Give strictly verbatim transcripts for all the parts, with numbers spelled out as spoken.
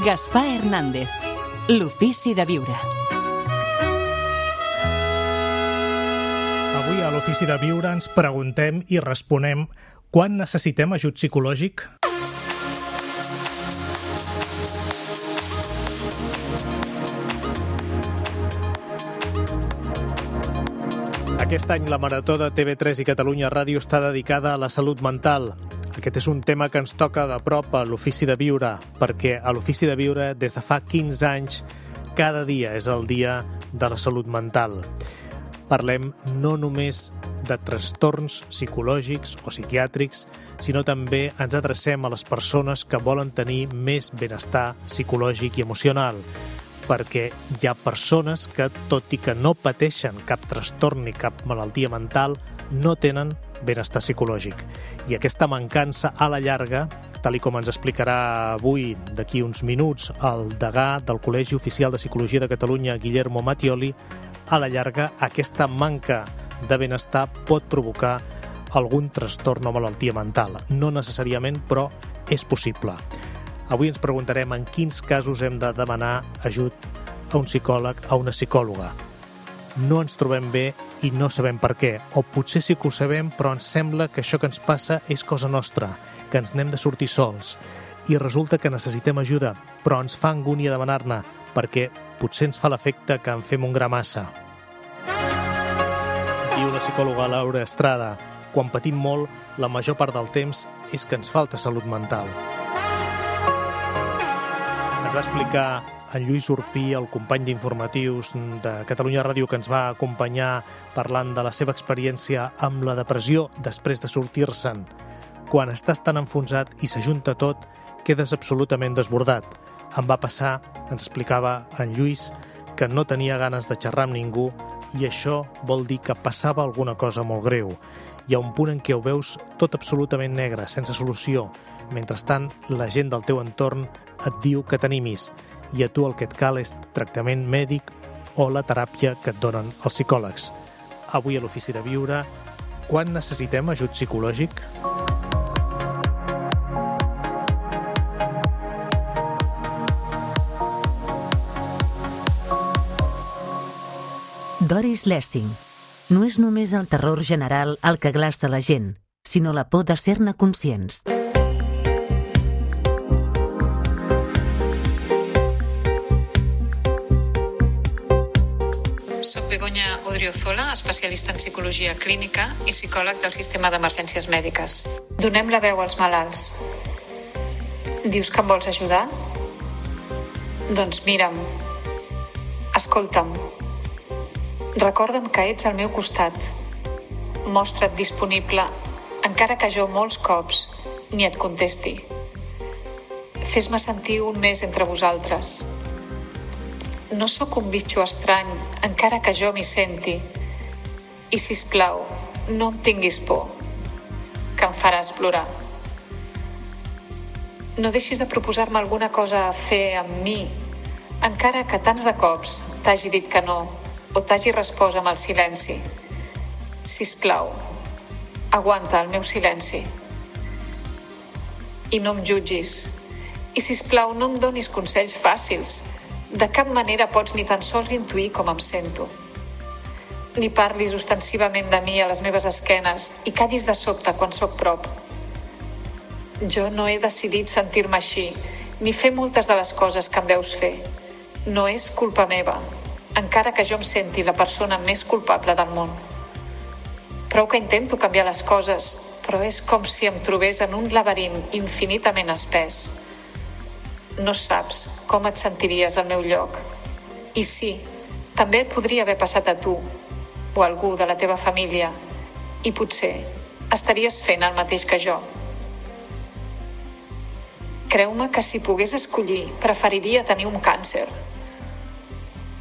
Gaspar Hernández, l'ofici de viure. Avui a l'Ofici de Viure ens preguntem i responem quan necessitem ajut psicològic? Aquest any la Marató de T V tres i Catalunya Ràdio està dedicada a la salut mental. Aquest és un tema que ens toca de prop a l'Ofici de Viure, perquè a l'Ofici de Viure, des de fa quinze anys, cada dia és el dia de la salut mental. Parlem no només de trastorns psicològics o psiquiàtrics, sinó també ens adrecem a les persones que volen tenir més benestar psicològic i emocional, perquè hi ha persones que, tot i que no pateixen cap trastorn ni cap malaltia mental, no tenen benestar psicològic. I aquesta mancança a la llarga, tal i com ens explicarà avui, d'aquí uns minuts, el degà del Col·legi Oficial de Psicologia de Catalunya, Guillermo Mattioli, a la llarga aquesta manca de benestar pot provocar algun trastorn o malaltia mental. No necessàriament, però és possible. Avui ens preguntarem en quins casos hem de demanar ajut a un psicòleg, a una psicòloga. No ens trobem bé i no sabem per què, o potser sí que ho sabem, però ens sembla que això que ens passa és cosa nostra, que ens n'hem de sortir sols, i resulta que necessitem ajuda, però ens fa angúnia demanar-ne, perquè potser ens fa l'efecte que en fem un gra massa. Diu la psicòloga Laura Estrada, quan patim molt, la major part del temps és que ens falta salut mental. Ens va explicar en Lluís Urpí, el company d'informatius de Catalunya Ràdio, que ens va acompanyar parlant de la seva experiència amb la depressió després de sortir-se'n. Quan estàs tan enfonsat i s'ajunta tot, quedes absolutament desbordat. Em va passar, ens explicava en Lluís, que no tenia ganes de xerrar amb ningú i això vol dir que passava alguna cosa molt greu. Hi ha un punt en què ho veus tot absolutament negre, sense solució. Mentrestant, la gent del teu entorn et diu que t'animis i a tu el que et cal és tractament mèdic o la teràpia que et donen els psicòlegs. Avui a l'Ofici de Viure, quan necessitem ajut psicològic? Doris Lessing. No és només el terror general el que glaça la gent, sinó la por de ser-ne conscients. Soc Begoña Odriozola, especialista en psicologia clínica i psicòleg del sistema d'emergències mèdiques. Donem la veu als malalts. Dius que em vols ajudar? Doncs mira'm, escolta'm, recorda'm que ets al meu costat. Mostra't disponible, encara que jo molts cops ni et contesti. Fes-me sentir un més entre vosaltres. No sóc un bitxo estrany, encara que jo m'hi senti. I, sisplau, no em tinguis por, que em faràs plorar. No deixis de proposar-me alguna cosa a fer amb mi, encara que tants de cops t'hagi dit que no o t'hagi respost amb el silenci. Sisplau, aguanta el meu silenci. I no em jutgis. I, sisplau, no em donis consells fàcils. De cap manera pots ni tan sols intuir com em sento. Ni parlis ostensivament de mi a les meves esquenes i callis de sobte quan sóc prop. Jo no he decidit sentir-me així, ni fer moltes de les coses que em veus fer. No és culpa meva, encara que jo em senti la persona més culpable del món. Prou que intento canviar les coses, però és com si em trobés en un laberint infinitament espès. No saps com et sentiries al meu lloc. I sí, també et podria haver passat a tu o a algú de la teva família i potser estaries fent el mateix que jo. Creu-me que si pogués escollir, preferiria tenir un càncer.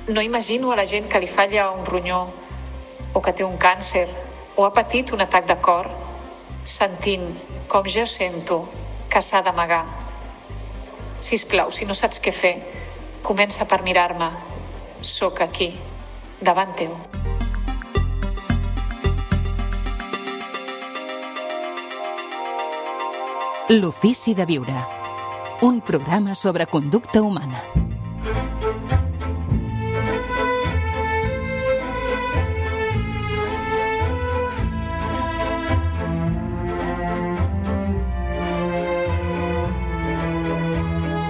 No imagino a la gent que li falla un ronyó o que té un càncer o ha patit un atac de cor sentint com jo sento que s'ha d'amagar. Sisplau, si no saps què fer, comença per mirar-me. Sóc aquí, davant teu. L'Ofici de Viure. un programa sobre conducta humana.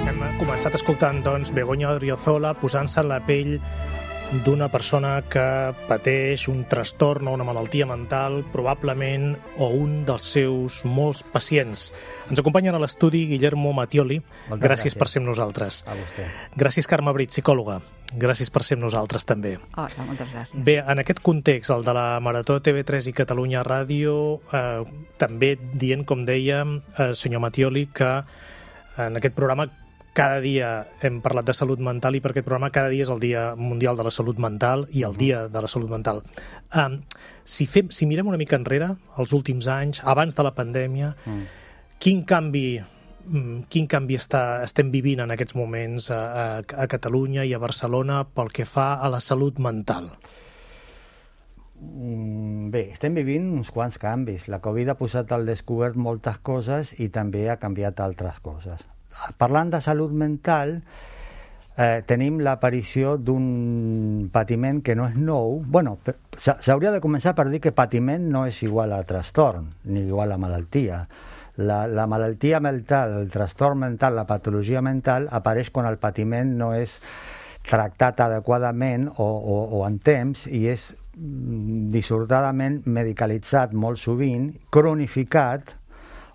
Hem començat escoltant, doncs, Begoña Odriozola posant-se en la pell d'una persona que pateix un trastorn o una malaltia mental, probablement, o un dels seus molts pacients. Ens acompanyen a l'estudi Guillermo Mattioli. Gràcies, gràcies per ser amb nosaltres. A vostè. Gràcies, Carme Brit, psicòloga. Gràcies per ser amb nosaltres, també. Hola, moltes gràcies. Bé, en aquest context, el de la Marató T V tres i Catalunya Ràdio, eh, també dient, com deia, eh, senyor Mattioli, que en aquest programa cada dia hem parlat de salut mental i per aquest programa cada dia és el Dia Mundial de la Salut Mental i el Dia de la Salut Mental. Um, si, fem, si mirem una mica enrere, els últims anys, abans de la pandèmia, mm. quin canvi, quin canvi està, estem vivint en aquests moments a, a, a Catalunya i a Barcelona pel que fa a la salut mental? Bé, estem vivint uns quants canvis. La Covid ha posat al descobert moltes coses i també ha canviat altres coses. Parlant de salut mental, eh, tenim l'aparició d'un patiment que no és nou. Bueno, s'hauria de començar per dir que patiment no és igual a trastorn, ni igual a malaltia. La, la malaltia mental, el trastorn mental, la patologia mental apareix quan el patiment no és tractat adequadament o, o, o en temps i és dissortadament medicalitzat molt sovint, cronificat,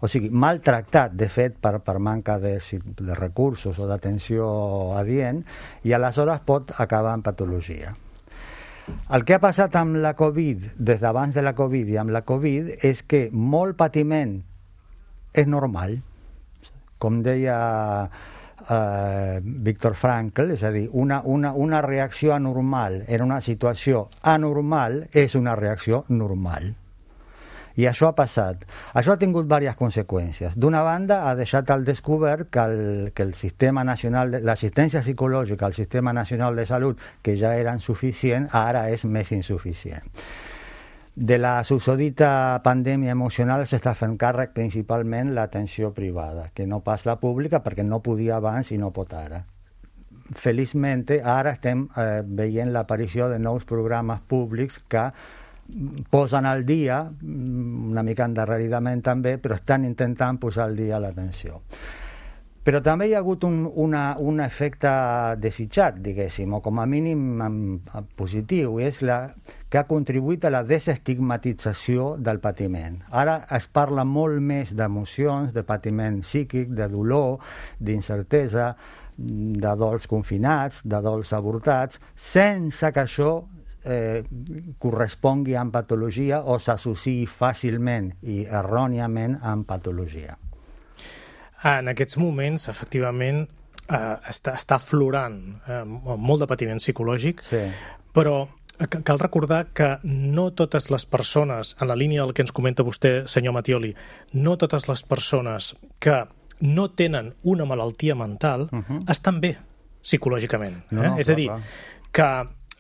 o sigui, maltractat, de fet, per, per manca de, de recursos o d'atenció adient, i aleshores pot acabar en patologia. El que ha passat amb la Covid, des d'abans de la Covid i amb la Covid, és que molt patiment és normal. Com deia eh, Viktor Frankl, és a dir, una, una, una reacció anormal en una situació anormal és una reacció normal. I això ha passat. Això ha tingut diverses conseqüències. D'una banda, ha deixat al descobert que el, que el sistema nacional, de, l'assistència psicològica al sistema nacional de salut, que ja era insuficient, ara és més insuficient. De la susodita pandèmia emocional s'està fent càrrec principalment l'atenció privada, que no pas la pública, perquè no podia abans i no pot ara. Feliçment, ara estem eh, veient l'aparició de nous programes públics que posen al dia, una mica endarreridament també, però estan intentant posar al dia l'atenció. Però també hi ha hagut un, una, un efecte desitjat, diguéssim, o com a mínim positiu, és la, que ha contribuït a la desestigmatització del patiment. Ara es parla molt més d'emocions, de patiment psíquic, de dolor, d'incertesa, de dols confinats, de dols avortats, sense que això Eh, correspongui amb patologia o s'associï fàcilment i erròniament amb patologia. En aquests moments, efectivament, eh, està, està aflorant eh, molt de patiment psicològic, sí. Però cal recordar que no totes les persones, en la línia del que ens comenta vostè, senyor Mattioli, no totes les persones que no tenen una malaltia mental uh-huh. estan bé psicològicament. Eh? No, no, És clar, a dir, clar. que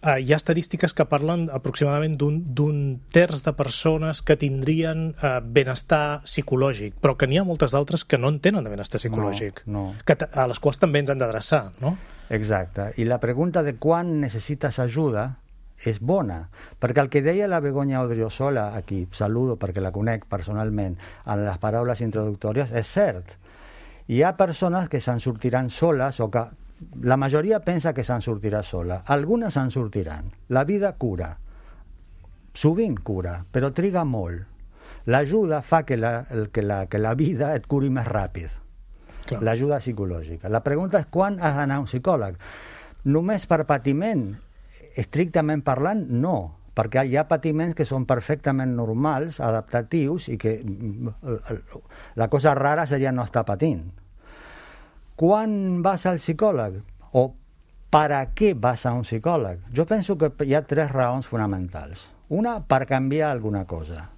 Uh, hi ha estadístiques que parlen aproximadament d'un, d'un terç de persones que tindrien uh, benestar psicològic, però que n'hi ha moltes d'altres que no en tenen de benestar psicològic, no, no. Que a les quals també ens han d'adreçar, no? Exacte. I la pregunta de quan necessites ajuda és bona, perquè el que deia la Begoña Odriozola, aquí saludo perquè la conec personalment, en les paraules introductòries, és cert. Hi ha persones que se'n sortiran soles o que la majoria pensa que se'n sortirà sola. Algunes se'n sortiran. La vida cura. Sovint cura, però triga molt. L'ajuda fa que la, que la, que la vida et curi més ràpid. Clar. L'ajuda psicològica. La pregunta és quan has d'anar a un psicòleg. Només per patiment, estrictament parlant, no. Perquè hi ha patiments que són perfectament normals, adaptatius, i que la cosa rara seria no estar patint. Quan vas al psicòleg? O per a què vas a un psicòleg? Jo penso que hi ha tres raons fonamentals. Una, per canviar alguna cosa.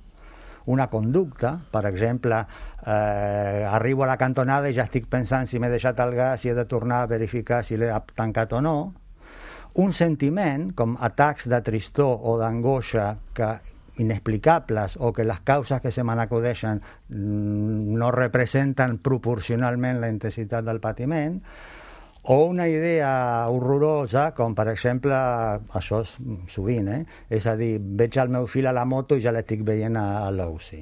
Una conducta, per exemple, eh, arribo a la cantonada i ja estic pensant si m'he deixat el gas i he de tornar a verificar si l'he tancat o no. Un sentiment, com atacs de tristor o d'angoixa que inexplicables o que les causes que se me n'acudeixen no representen proporcionalment la intensitat del patiment, o una idea horrorosa, com per exemple, això és sovint, eh? és a dir, veig el meu fill a la moto i ja l'estic veient a, a l'U C I.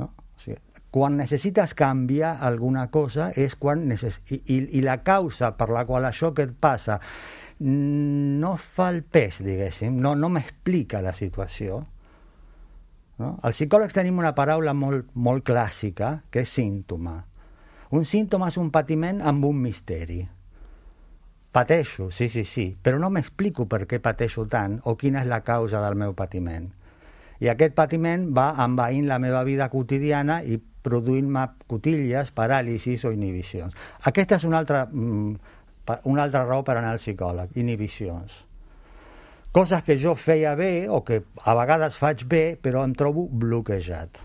No? O sigui, quan necessites canviar alguna cosa és quan necess... I, i, i la causa per la qual això que et passa no fa el pes, diguéssim, no, no m'explica la situació. No? Els psicòlegs tenim una paraula molt, molt clàssica, que és símptoma. Un símptoma és un patiment amb un misteri. Pateixo, sí, sí, sí, però no m'explico per què pateixo tant o quina és la causa del meu patiment. I aquest patiment va envaint la meva vida quotidiana i produint-me cotilles, paràlisis o inhibicions. Aquesta és una altra, una altra raó per anar al psicòleg, inhibicions. Coses que jo feia bé o que a vegades faig bé, però em trobo bloquejat.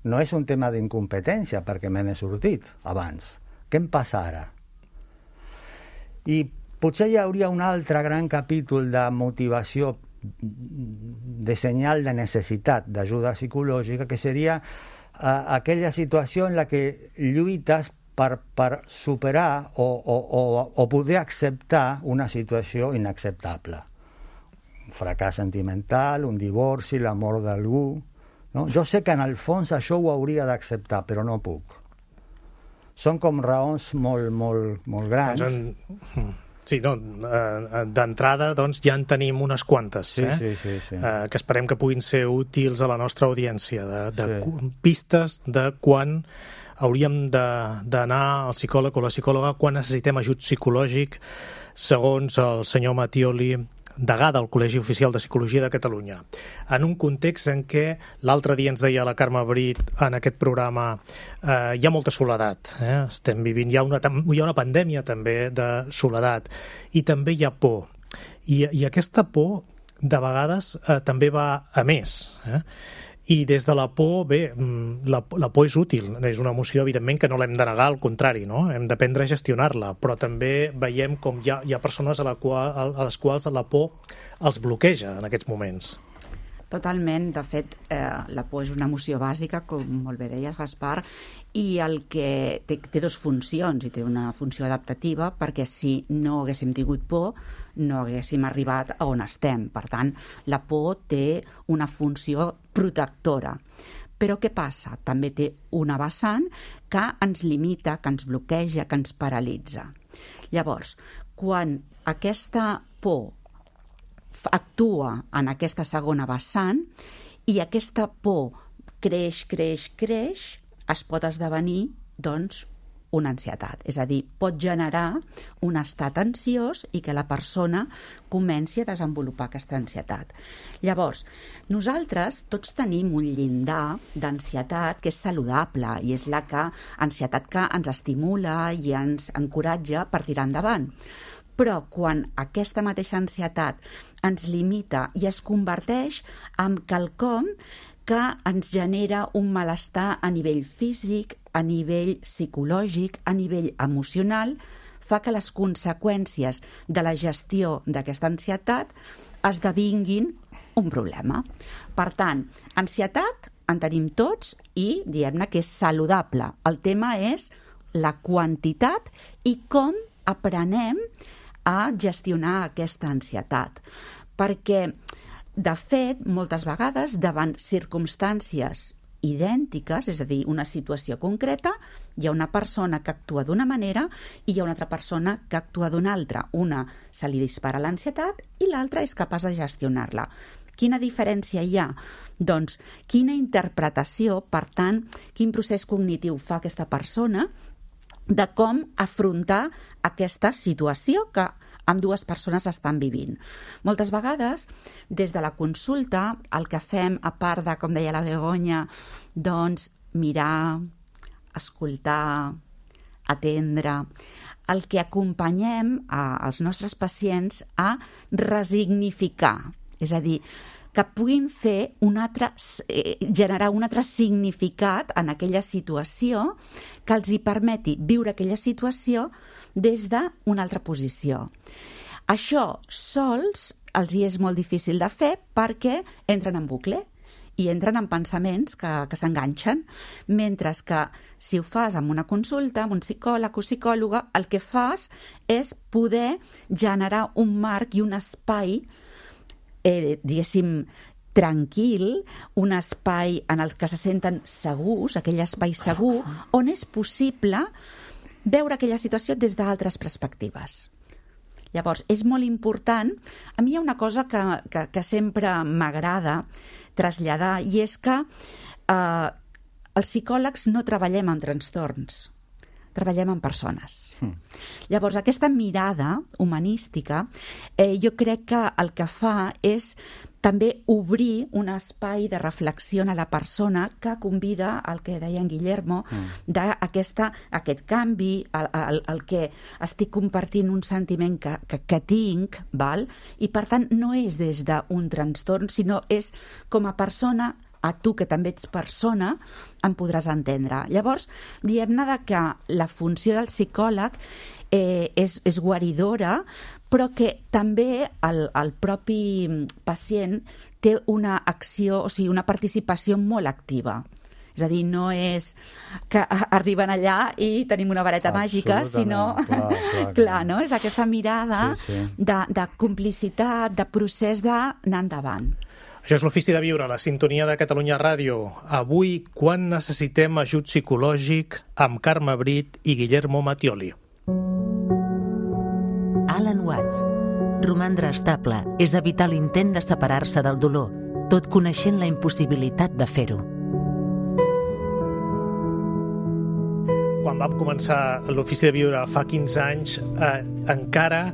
No és un tema d'incompetència, perquè me n'he sortit abans. Què em passa ara? I potser hi hauria un altre gran capítol de motivació, de senyal de necessitat d'ajuda psicològica, que seria uh, aquella situació en la que lluites per, per superar o, o, o, o poder acceptar una situació inacceptable. Un fracàs sentimental, un divorci, la mort d'algú. No? Jo sé que en el fons això ho hauria d'acceptar, però no puc. Són com raons molt, molt, molt grans. Doncs en... Sí, no, d'entrada doncs, ja en tenim unes quantes, sí, eh? sí, sí, sí. Eh, que esperem que puguin ser útils a la nostra audiència, de, de sí. pistes de quan hauríem d'anar al psicòleg o la psicòloga, quan necessitem ajut psicològic, segons el senyor Mattioli, degà del Col·legi Oficial de Psicologia de Catalunya, en un context en què l'altre dia ens deia la Carme Brit en aquest programa eh, hi ha molta soledat, eh? Estem vivint, hi ha, una, hi ha una pandèmia també de soledat i també hi ha por i, i aquesta por de vegades eh, també va a més, eh? I des de la por, bé, la, la por és útil, és una emoció, evidentment, que no l'hem de negar, al contrari, no? Hem d'aprendre a gestionar-la, però també veiem com hi ha, hi ha persones a, la qual, a les quals la por els bloqueja en aquests moments. Totalment. De fet, eh, la por és una emoció bàsica, com molt bé deies, Gaspar, i el que té, té dues funcions, i té una funció adaptativa, perquè si no haguéssim tingut por, no haguéssim arribat a on estem. Per tant, la por té una funció protectora. Però què passa? També té una vessant que ens limita, que ens bloqueja, que ens paralitza. Llavors, quan aquesta por actua en aquesta segona vessant i aquesta por creix, creix, creix, es pot esdevenir, doncs, una ansietat. És a dir, pot generar un estat ansiós i que la persona comenci a desenvolupar aquesta ansietat. Llavors, nosaltres tots tenim un llindar d'ansietat que és saludable i és la que, ansietat que ens estimula i ens encoratja per tirar endavant. Però quan aquesta mateixa ansietat ens limita i es converteix en quelcom que ens genera un malestar a nivell físic, a nivell psicològic, a nivell emocional, fa que les conseqüències de la gestió d'aquesta ansietat esdevinguin un problema. Per tant, ansietat en tenim tots i diem-ne que és saludable. El tema és la quantitat i com aprenem a gestionar aquesta ansietat. Perquè, de fet, moltes vegades, davant circumstàncies idèntiques, és a dir, una situació concreta, hi ha una persona que actua d'una manera i hi ha una altra persona que actua d'una altra. Una se li dispara l'ansietat i l'altra és capaç de gestionar-la. Quina diferència hi ha? Doncs quina interpretació, per tant, quin procés cognitiu fa aquesta persona de com afrontar aquesta situació que ambdues persones estan vivint. Moltes vegades, des de la consulta, el que fem, a part de, com deia la Begoña, doncs mirar, escoltar, atendre, el que acompanyem als nostres pacients a resignificar, és a dir, que puguin fer un altre, eh, generar un altre significat en aquella situació que els hi permeti viure aquella situació des d'una altra posició. Això sols els hi és molt difícil de fer perquè entren en bucle i entren en pensaments que, que s'enganxen, mentre que si ho fas amb una consulta, amb un psicòleg o psicòloga, el que fas és poder generar un marc i un espai, eh, diguéssim, tranquil, un espai en el que se senten segurs, aquell espai segur, on és possible veure aquella situació des d'altres perspectives. Llavors, és molt important. A mi hi ha una cosa que, que, que sempre m'agrada traslladar, i és que eh, els psicòlegs no treballem amb trastorns, treballem amb persones. Mm. Llavors, aquesta mirada humanística, eh, jo crec que el que fa és també obrir un espai de reflexió a la persona que convida al que deia en Guillermo, mm. d'aquest canvi, el, el, el que estic compartint un sentiment que, que, que tinc, val? I per tant no és des d'un trastorn, sinó és com a persona, a tu que també ets persona, em podràs entendre. Llavors, diem-ne que la funció del psicòleg eh, és, és guaridora, però que també el, el propi pacient té una acció, o sigui, una participació molt activa. És a dir, no és que arriben allà i tenim una vareta màgica, sinó... Clar, clar, clar. clar, no? És aquesta mirada sí, sí. De, de complicitat, de procés d'anar endavant. Això és l'Ofici de Viure, la sintonia de Catalunya Ràdio. Avui, quan necessitem ajut psicològic, amb Carme Brit i Guillermo Mattioli. Alan Watts. Romandre estable és evitar l'intent de separar-se del dolor, tot coneixent la impossibilitat de fer-ho. Quan vam començar l'Ofici de Viure fa quinze anys, eh, encara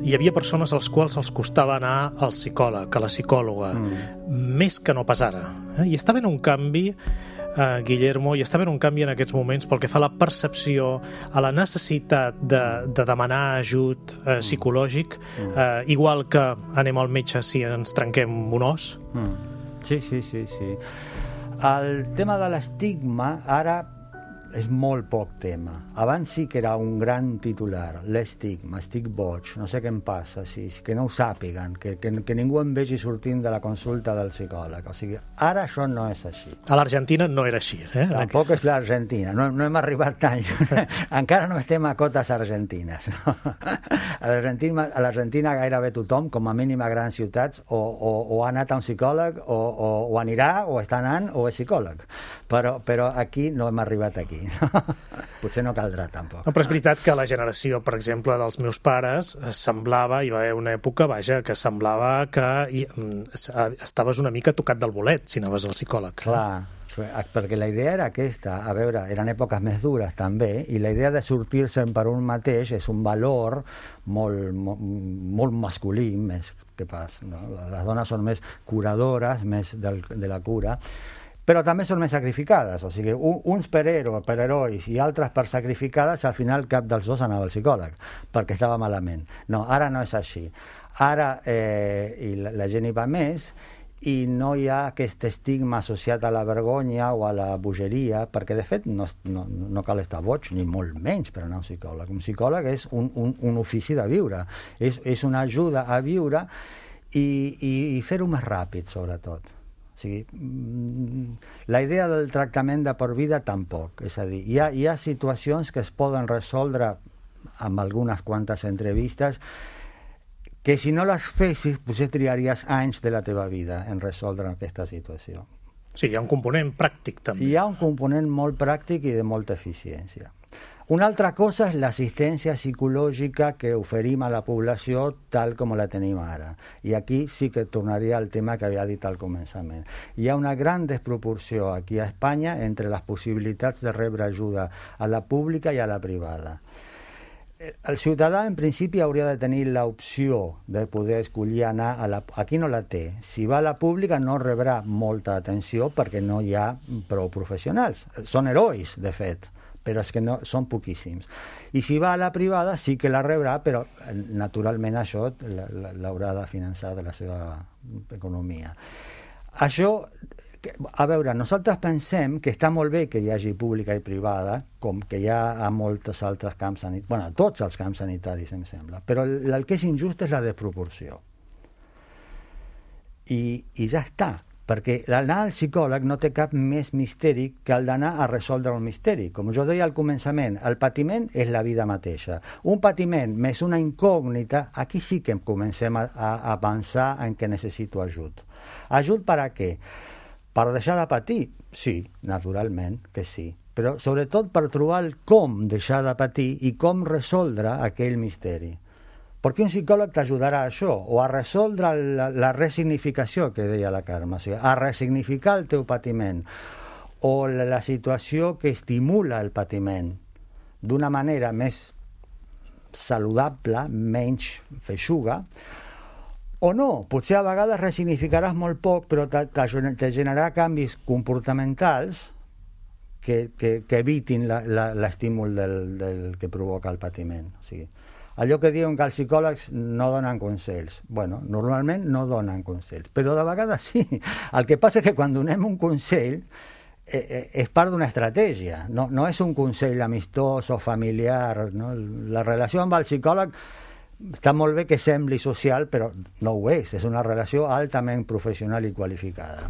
hi havia persones als quals els costava anar al psicòleg, a la psicòloga, mm. més que no pas ara. Eh? I està havent un canvi, eh, Guillermo, i està havent un canvi en aquests moments pel que fa a la percepció, a la necessitat de, de demanar ajut eh, psicològic, eh, igual que anem al metge si ens trenquem un os. Mm. Sí, sí, sí, sí. El tema de l'estigma ara és molt poc tema. Abans sí que era un gran titular, l'estigma, estic boig, no sé què em passa, sí, que no ho sàpiguen, que, que, que ningú em vegi sortint de la consulta del psicòleg. O sigui, ara això no és així. A l'Argentina no era així. Eh? Tampoc és l'Argentina, no, no hem arribat tan lluny. Encara no estem a cotes argentines. No? A l'Argentina gairebé tothom, com a mínim a grans ciutats, o, o, o ha anat a un psicòleg, o, o, o anirà, o està anant, o és psicòleg. Però, però aquí no hem arribat aquí. No? Potser no caldrà tampoc. No, però és veritat que la generació, per exemple, dels meus pares semblava, hi va haver una època, vaja, que semblava que hi, estaves una mica tocat del bolet si anaves al psicòleg. Clar, perquè la idea era aquesta, a veure, eren èpoques més dures també, i la idea de sortir-se'n per un mateix és un valor molt, molt, molt masculí, més que pas, no? Les dones són més curadores, més del, de la cura, però també són més sacrificades, o sigui, uns per héroe, per herois i altres per sacrificades, al final cap dels dos anava al psicòleg, perquè estava malament. No, ara no és així. Ara eh, i la, la gent hi va més i no hi ha aquest estigma associat a la vergonya o a la bogeria, perquè de fet no, no, no cal estar boig, ni molt menys per anar a un psicòleg. Un psicòleg és un, un, un ofici de viure, és, és una ajuda a viure i, i, i fer-ho més ràpid, sobretot. O sigui, la idea del tractament de per vida tampoc. És a dir, hi ha, hi ha situacions que es poden resoldre amb algunes quantes entrevistes que si no les fessis, potser triaries anys de la teva vida en resoldre aquesta situació. Sí, hi ha un component pràctic també. Hi ha un component molt pràctic i de molta eficiència. Una altra cosa és l'assistència psicològica que oferim a la població tal com la tenim ara. I aquí sí que tornaria al tema que havia dit al començament. Hi ha una gran desproporció aquí a Espanya entre les possibilitats de rebre ajuda a la pública i a la privada. El ciutadà, en principi, hauria de tenir l'opció de poder escollir anar a la... Aquí no la té. Si va a la pública no rebrà molta atenció perquè no hi ha prou professionals. Són herois, de fet, però és que no, són poquíssims. I si va a la privada sí que la rebrà, però naturalment això l'haurà de finançar de la seva economia. Això, a veure, nosaltres pensem que està molt bé que hi hagi pública i privada, com que hi ha a molts altres camps sanitaris, bueno, a tots els camps sanitaris, em sembla, però el, el que és injust és la desproporció. I, i ja està. perquè l'anar al psicòleg no té cap més misteri que el d'anar a resoldre el misteri. Com jo deia al començament, el patiment és la vida mateixa. Un patiment més una incògnita, aquí sí que comencem a, a pensar en què necessito ajut. Ajut per a què? Per deixar de patir? Sí, naturalment que sí. Però sobretot per trobar el com deixar de patir i com resoldre aquell misteri. Perquè un psicòleg t'ajudarà a això, o a resoldre la, la resignificació que deia la Carme, o sigui, a resignificar el teu patiment, o la, la situació que estimula el patiment d'una manera més saludable, menys feixuga, o no, potser a vegades resignificaràs molt poc, però te, te, te generarà canvis comportamentals que, que, que evitin l'estímul del, del que provoca el patiment. O sigui, allò que diuen que els psicòlegs no donen consells. Bueno, normalment no donen consells, però de vegades sí. El que passa és que quan donem un consell eh, eh, és part d'una estratègia, no, no és un consell amistós o familiar. No? La relació amb el psicòleg està molt bé que sembli social, però no ho és. És una relació altament professional i qualificada.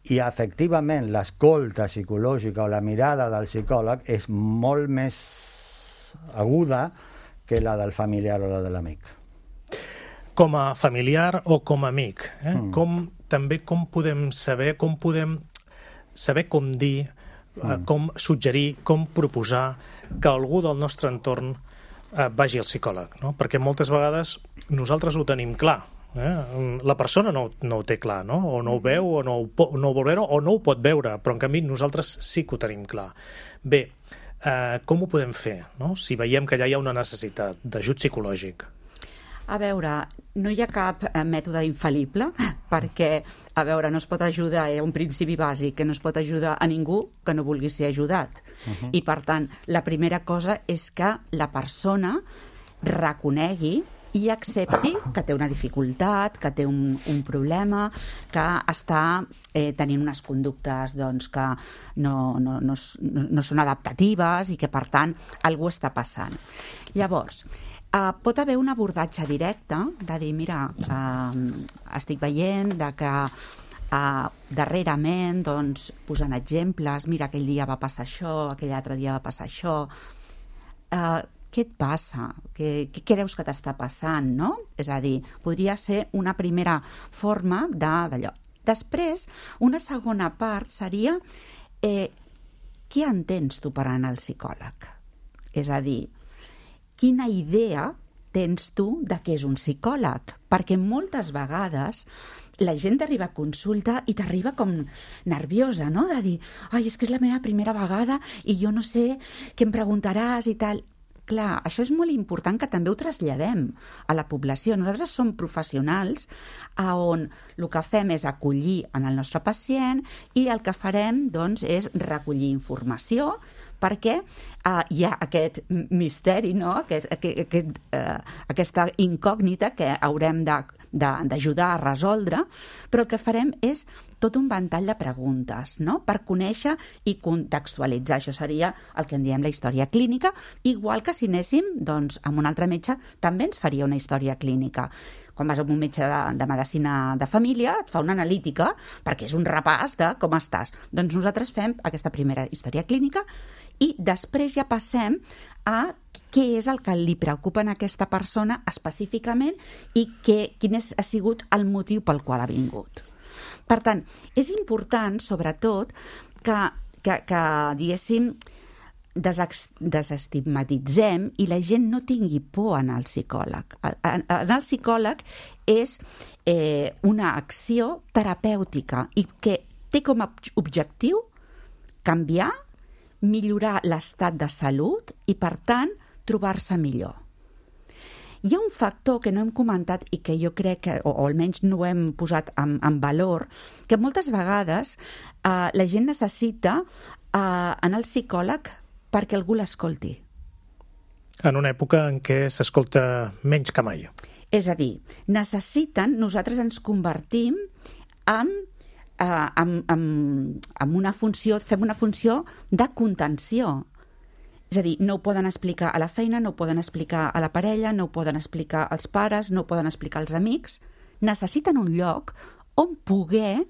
I efectivament l'escolta psicològica o la mirada del psicòleg és molt més aguda que la del familiar o la de l'amic. Com a familiar o com a amic, eh? Mm. Com, també com podem saber, com podem saber com dir, mm. eh, com suggerir, com proposar que algú del nostre entorn eh, vagi al psicòleg, no? Perquè moltes vegades nosaltres ho tenim clar, eh? La persona no, no ho té clar, no? O no ho veu, o no ho, no ho vol veure, o no ho pot veure, però en canvi nosaltres sí que ho tenim clar. Bé, Uh, com ho podem fer, no? Si veiem que ja hi ha una necessitat d'ajut psicològic? A veure, no hi ha cap eh, mètode infal·lible, perquè, a veure, no es pot ajudar, hi ha un principi bàsic, que no es pot ajudar a ningú que no vulgui ser ajudat. Uh-huh. I, per tant, la primera cosa és que la persona reconegui i accepti que té una dificultat, que té un, un problema, que està eh, tenint unes conductes doncs, que no, no, no, no, no són adaptatives i que, per tant, alguna cosa està passant. Llavors, eh, pot haver un abordatge directe de dir, mira, eh, estic veient de que Uh, darrerament, doncs, posant exemples, mira, aquell dia va passar això, aquell altre dia va passar això, uh, què et passa? Què, què creus que t'està passant, no? És a dir, podria ser una primera forma d'allò. Després, una segona part seria eh, què entens tu per anar al psicòleg? És a dir, quina idea tens tu de què és un psicòleg? Perquè moltes vegades la gent t'arriba a consulta i t'arriba com nerviosa, no? De dir, ai, és que és la meva primera vegada i jo no sé què em preguntaràs i tal. Clar, això és molt important que també ho traslladem a la població. Nosaltres som professionals on el que fem és acollir en el nostre pacient i el que farem, doncs, és recollir informació perquè uh, hi ha aquest misteri, no? aquest, aquest, aquest, uh, aquesta incògnita que haurem de, de, d'ajudar a resoldre, però el que farem és tot un ventall de preguntes, no? Per conèixer i contextualitzar. Això seria el que en diem la història clínica, igual que si anéssim doncs, amb un altre metge també ens faria una història clínica. Quan vas a un metge de, de medicina de família, et fa una analítica, perquè és un repàs de com estàs. Doncs nosaltres fem aquesta primera història clínica i després ja passem a què és el que li preocupa a aquesta persona específicament i què, quin és, ha sigut el motiu pel qual ha vingut. Per tant, és important, sobretot, que, que, que diguéssim, desestigmatitzem i la gent no tingui por a anar al psicòleg. Anar al psicòleg és eh, una acció terapèutica i que té com a objectiu canviar, millorar l'estat de salut i, per tant, trobar-se millor. Hi ha un factor que no hem comentat i que jo crec que, o, o almenys no ho hem posat en, en valor, que moltes vegades eh, la gent necessita eh, anar al psicòleg perquè algú l'escolti. En una època en què s'escolta menys que mai. És a dir, necessiten, nosaltres ens convertim en, eh, en, en, en una funció, fem una funció de contenció. És a dir, no ho poden explicar a la feina, no ho poden explicar a la parella, no ho poden explicar als pares, no ho poden explicar als amics. Necessiten un lloc on poder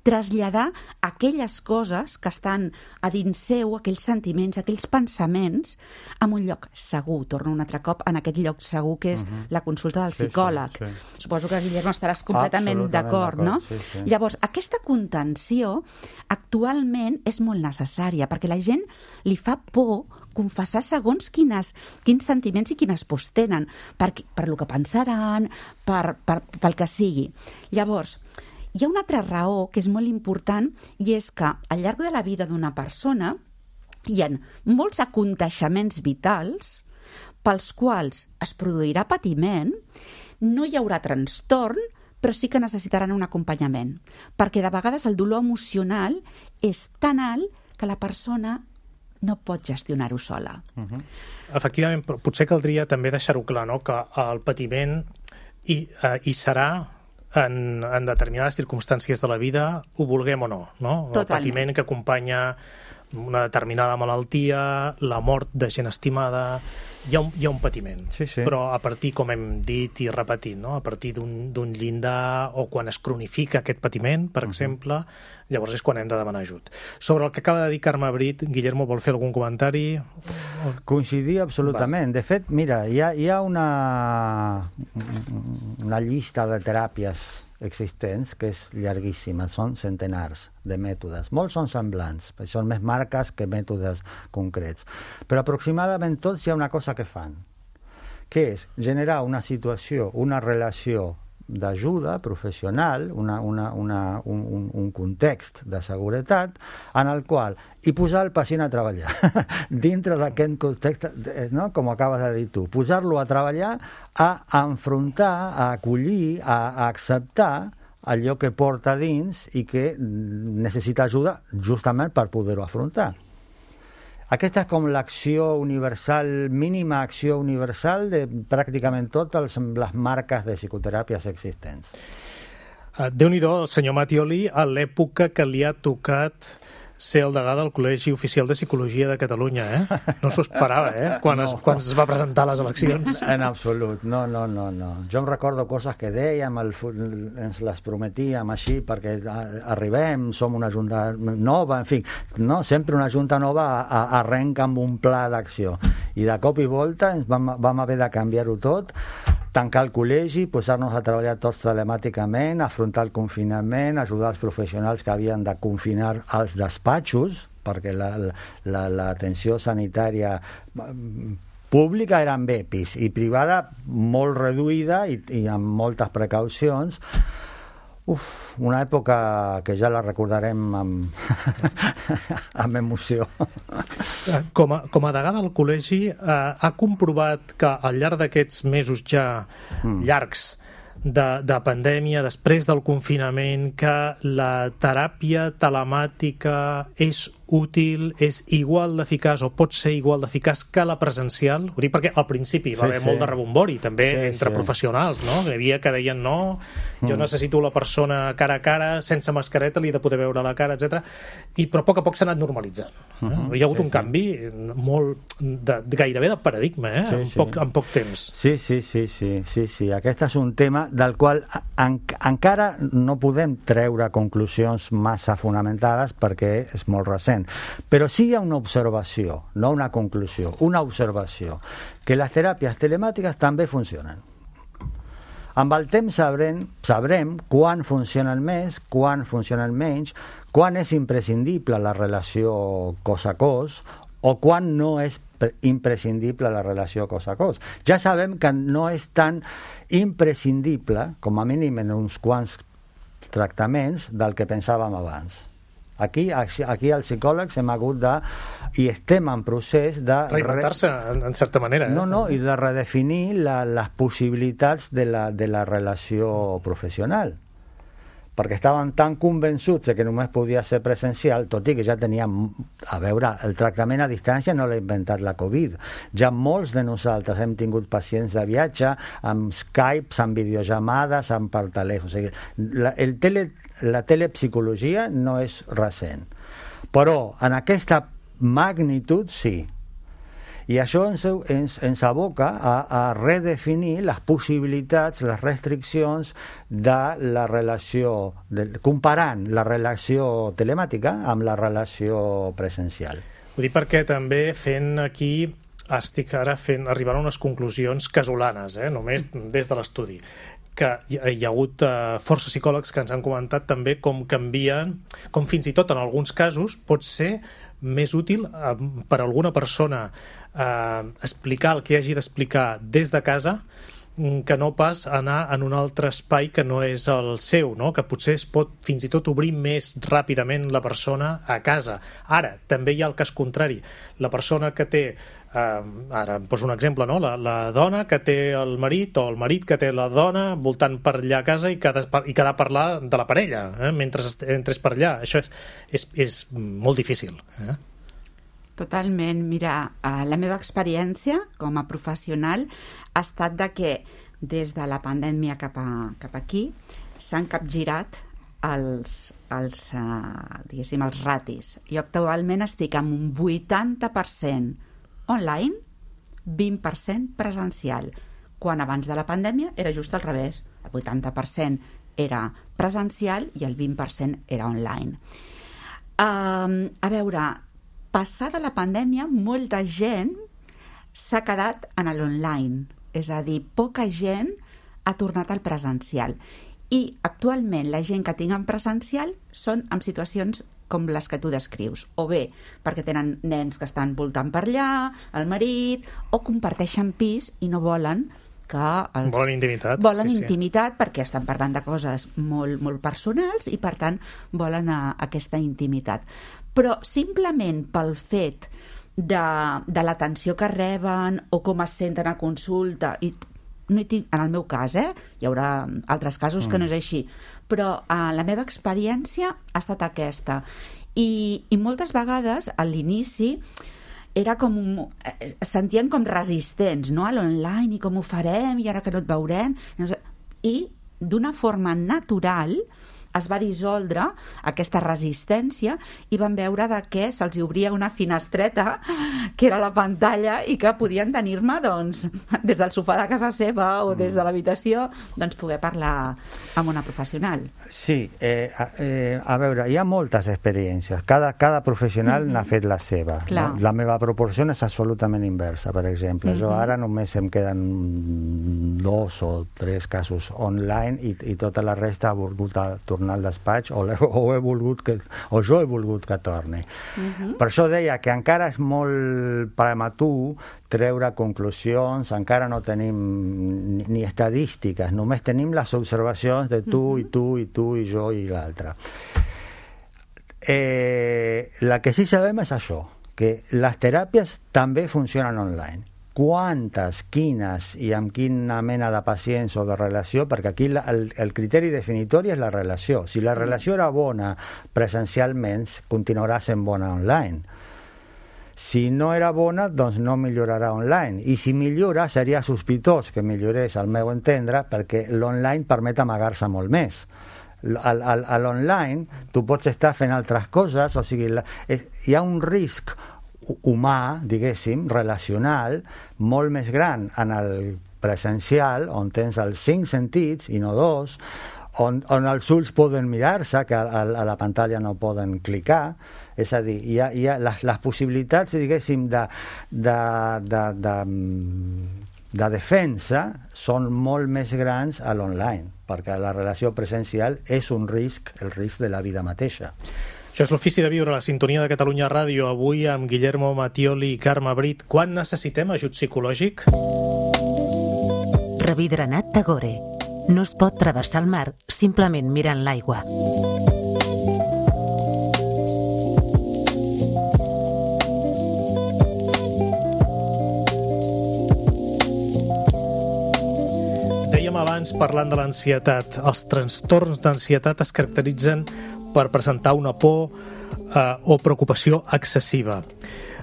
traslladar aquelles coses que estan a dins seu, aquells sentiments, aquells pensaments, en un lloc segur. Torno un altre cop en aquest lloc segur que és uh-huh. la consulta del psicòleg. Sí, sí, sí. Suposo que, Guillermo, estaràs completament d'acord, no? Sí, sí. Llavors, aquesta contenció actualment és molt necessària, perquè la gent li fa por confessar segons quines, quins sentiments i quines pors tenen, per, per lo que pensaran, per, per, pel que sigui. Llavors, hi ha una altra raó que és molt important, i és que al llarg de la vida d'una persona hi ha molts aconteixements vitals pels quals es produirà patiment, no hi haurà trastorn, però sí que necessitaran un acompanyament, perquè de vegades el dolor emocional és tan alt que la persona no pot gestionar-ho sola. Uh-huh. Efectivament, potser caldria també deixar-ho clar, no? Que el patiment hi, uh, hi serà en, en determinades circumstàncies de la vida, ho vulguem o no, no? El patiment que acompanya una determinada malaltia, la mort de gent estimada, hi ha un, hi ha un patiment. Sí, sí. Però a partir, com hem dit i repetit, no? A partir d'un llindar o quan es cronifica aquest patiment, per uh-huh. exemple, llavors és quan hem de demanar ajut. Sobre el que acaba de dir Carme Brit, Guillermo, vol fer algun comentari? Coincidir absolutament. Va. De fet, mira, hi ha, hi ha una, una llista de teràpies existents que és llarguíssima, són centenars de mètodes. Molts són semblants, són més marques que mètodes concrets. Però aproximadament tots hi ha una cosa que fan, que és generar una situació, una relació d'ajuda professional, una, una, una, un, un context de seguretat en el qual i posar el pacient a treballar dintre d'aquest context, no? Com acabes de dir tu, posar-lo a treballar, a enfrontar, a acollir, a, a acceptar allò que porta dins i que necessita ajuda justament per poder-ho afrontar. Aquesta és com l'acció universal, mínima acció universal de pràcticament totes les marques de psicoteràpies existents. Déu-n'hi-do, senyor Mattioli, a l'època que li ha tocat ser el degà del Col·legi Oficial de Psicologia de Catalunya, eh? No s'ho esperava, eh? Quan, no. es, quan es va presentar a les eleccions. En absolut, no, no, no, no. Jo em recordo coses que dèiem, el, ens les prometíem així perquè arribem, som una junta nova, en fi, no? Sempre una junta nova arrenca amb un pla d'acció. I de cop i volta ens vam, vam haver de canviar-ho tot, tancar el col·legi, posar-nos a treballar tots telemàticament, afrontar el confinament, ajudar els professionals que havien de confinar als despatxos, perquè l'atenció la, la, sanitària pública era amb E P I S i privada molt reduïda i, i amb moltes precaucions. Uf, una època que ja la recordarem amb, amb emoció. Com a, com a degà del col·legi, eh, ha comprovat que al llarg d'aquests mesos ja mm. llargs de, de pandèmia, després del confinament, que la teràpia telemàtica és útil, és igual d'eficaç o pot ser igual d'eficaç que la presencial? Ho dic perquè al principi va sí, haver sí. molt de rebombori, també sí, entre sí. professionals, no? Hi havia que deien no, jo mm. necessito la persona cara a cara, sense mascareta, li he de poder veure la cara, etcètera. I però a poc a poc s'ha anat normalitzant. Eh? Mm-hmm. Hi ha hagut sí, un sí. canvi molt, de, de, gairebé de paradigma, eh? Sí, en, poc, sí. en poc temps. Sí, sí, sí, sí, sí, sí. Aquest és un tema del qual en, encara no podem treure conclusions massa fonamentades perquè és molt recent. Però sí hi ha una observació, no una conclusió, una observació, que les teràpies telemàtiques també funcionen. Amb el temps sabrem, sabrem quan funcionen més, quan funcionen menys, quan és imprescindible la relació cos a cos o quan no és imprescindible la relació cos a cos. Ja sabem que no és tan imprescindible, com a mínim en uns quants tractaments, del que pensàvem abans. Aquí, aquí els psicòlegs hem hagut de, i estem en procés de... Reinventar-se, en, en certa manera. Eh? No, no, i de redefinir la, les possibilitats de la, de la relació professional. Perquè estaven tan convençuts que només podia ser presencial, tot i que ja teníem... A veure, el tractament a distància no l'ha inventat la Covid. Ja molts de nosaltres hem tingut pacients de viatge amb Skype, amb videollamades, amb per telèfon. O sigui, la, el tele... La telepsicologia no és recent, però en aquesta magnitud sí. I això ens, ens, ens aboca a, a redefinir les possibilitats, les restriccions de la relació, de, comparant la relació telemàtica amb la relació presencial. Ho dic perquè també fent aquí, estic ara fent, arribant a unes conclusions casolanes, eh? Només des de l'estudi, que hi ha, hi ha hagut uh, força psicòlegs que ens han comentat també com canvien, com fins i tot en alguns casos pot ser més útil uh, per a alguna persona uh, explicar el que hagi d'explicar des de casa que no pas anar en un altre espai que no és el seu, no? Que potser es pot fins i tot obrir més ràpidament la persona a casa. Ara, també hi ha el cas contrari. La persona que té, eh, ara em poso un exemple, no? La, la dona que té el marit o el marit que té la dona voltant per allà a casa i que ha de, i que ha de parlar de la parella eh? mentre, mentre és per allà. Això és, és, és molt difícil. Eh? Totalment. Mira, la meva experiència com a professional ha estat de que des de la pandèmia cap, a, cap aquí s'han capgirat els, els, uh, diguéssim, els ratis. Jo actualment estic amb un vuitanta per cent online, vint per cent presencial, quan abans de la pandèmia era just al revés. El vuitanta per cent era presencial i el vint per cent era online. Uh, a veure, passada la pandèmia, molta gent s'ha quedat en l'online, és a dir, poca gent ha tornat al presencial. I actualment la gent que tinc en presencial són en situacions com les que tu descrius, o bé perquè tenen nens que estan voltant per allà, el marit, o comparteixen pis i no volen que els... Volen intimitat. Volen sí, intimitat sí. perquè estan parlant de coses molt, molt personals i, per tant, volen a, aquesta intimitat. Però simplement pel fet de, de l'atenció que reben o com es senten a consulta, i no hi tinc, en el meu cas, eh? Hi haurà altres casos mm. que no és així, però eh, la meva experiència ha estat aquesta. I, i moltes vegades, a l'inici, era com... sentíem com resistents, no?, a l'online, i com ho farem, i ara que no et veurem... I d'una forma natural es va dissoldre aquesta resistència i van veure de que se'ls obria una finestreta, que era la pantalla, i que podien tenir-me, doncs, des del sofà de casa seva o des de l'habitació, doncs, poder parlar amb una professional. Sí, eh, eh, a veure, hi ha moltes experiències. Cada, cada professional mm-hmm. n'ha fet la seva. No? La meva proporció és absolutament inversa, per exemple. Mm-hmm. Jo ara només em queden dos o tres casos online i, i tota la resta ha volgut tornar al despatx o, o, he volgut que, o jo he volgut que torni. Uh-huh. Per això deia que encara és molt prematur treure conclusions, encara no tenim ni, ni estadístiques, només tenim les observacions de tu uh-huh. i tu i tu i jo i l'altre. Eh, la que sí sabem és això, que les teràpies també funcionen online. Quantes, quines i amb quina mena de pacients o de relació, perquè aquí la, el, el criteri definitori és la relació. Si la relació era bona presencialment, continuarà sent bona online. Si no era bona, doncs no millorarà online. I si millora, seria sospitós que millorés, al meu entendre, perquè l'online permet amagar-se molt més. A l'online tu pots estar fent altres coses, o sigui, la, és, hi ha un risc humà, diguéssim, relacional, molt més gran en el presencial, on tens els cinc sentits i no dos, on, on els ulls poden mirar-se, que a, a la pantalla no poden clicar, és a dir, hi ha, hi ha les, les possibilitats, diguéssim, de, de, de, de, de defensa són molt més grans a l'online, perquè la relació presencial és un risc, el risc de la vida mateixa. Això és l'Ofici de Viure, la sintonia de Catalunya Ràdio, avui amb Guillermo Mattioli i Carme Brit. Quan necessitem ajut psicològic? Rabindranath Tagore. No es pot travessar el mar simplement mirant l'aigua. Dèiem abans, parlant de l'ansietat, els trastorns d'ansietat es caracteritzen per presentar una por eh, o preocupació excessiva.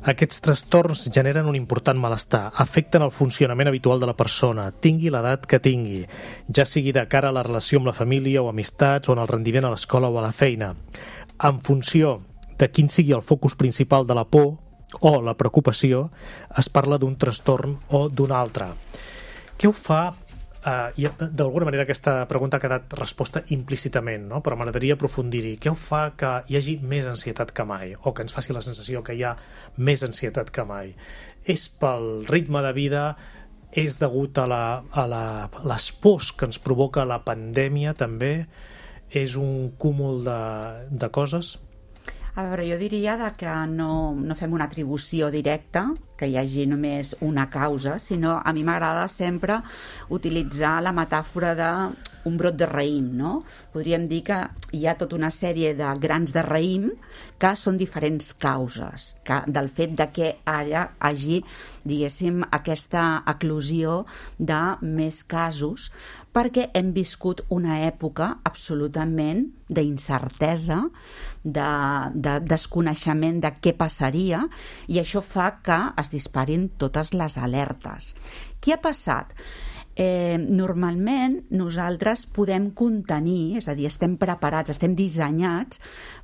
Aquests trastorns generen un important malestar, afecten el funcionament habitual de la persona, tingui l'edat que tingui, ja sigui de cara a la relació amb la família o amistats o en el rendiment a l'escola o a la feina. En funció de quin sigui el focus principal de la por, o la preocupació, es parla d'un trastorn o d'un altre. Què ho fa? Uh, i d'alguna manera aquesta pregunta ha quedat resposta implícitament, no? Però m'agradaria aprofundir-hi. Què ho fa que hi hagi més ansietat que mai, o que ens faci la sensació que hi ha més ansietat que mai? És pel ritme de vida? És degut a, la, a, la, a les pors que ens provoca la pandèmia també? És un cúmul de, de coses? A veure, jo diria de que no, no fem una atribució directa, que hi hagi només una causa, sinó a mi m'agrada sempre utilitzar la metàfora d'un brot de raïm, no? Podríem dir que hi ha tota una sèrie de grans de raïm que són diferents causes que, del fet de que allà hagi, diguéssim, aquesta eclosió de més casos, perquè hem viscut una època absolutament d'incertesa, de, de desconeixement de què passaria, i això fa que es disparin totes les alertes. Què ha passat? Eh, normalment nosaltres podem contenir, és a dir, estem preparats, estem dissenyats